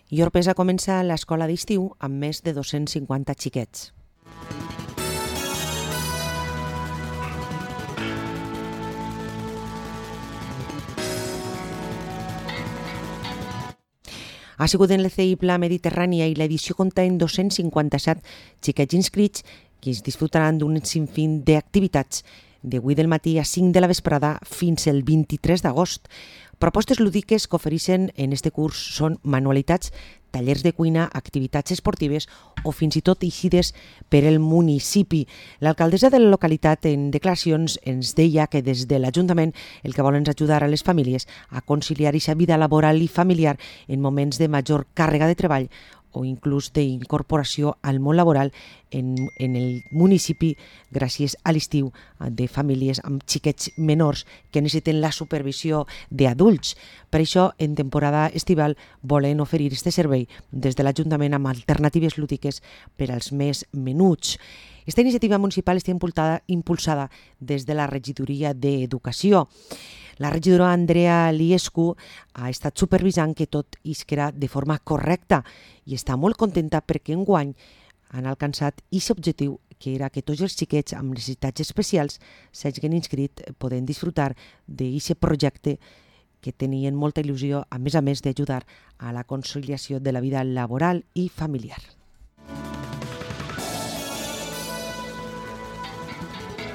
I Orpesa comença l'escola d'estiu amb més de 250 xiquets. Ha sigut en l'ECI Pla Mediterrània i l'edició compta en 257 xiquets inscrits que es disfrutaran d'un sinfín d'activitats de 8 del matí a 5 de la vesprada fins el 23 d'agost. Propostes lúdiques que ofereixen en este curs són manualitats, tallers de cuina, activitats esportives o fins i tot eixides per el municipi. L'alcaldessa de la localitat en declaracions ens deia que des de l'Ajuntament el que volen és ajudar a les famílies a conciliar aquesta vida laboral i familiar en moments de major càrrega de treball o inclús d'incorporació al món laboral en el municipi gràcies a l'estiu de famílies amb xiquets menors que necessiten la supervisió d'adults. Per això, en temporada estival, volen oferir este servei des de l'Ajuntament amb alternatives lúdiques per als més menuts. Esta iniciativa municipal està impulsada des de la regidoria d'Educació. La regidora Andrea Liescu ha estat supervisant que tot isquera de forma correcta i està molt contenta perquè enguany han alcançat aquest objectiu, que era que tots els xiquets amb necessitats especials s'hagin inscrit podent disfrutar d'aquest projecte que tenien molta il·lusió, a més d'ajudar a la conciliació de la vida laboral i familiar.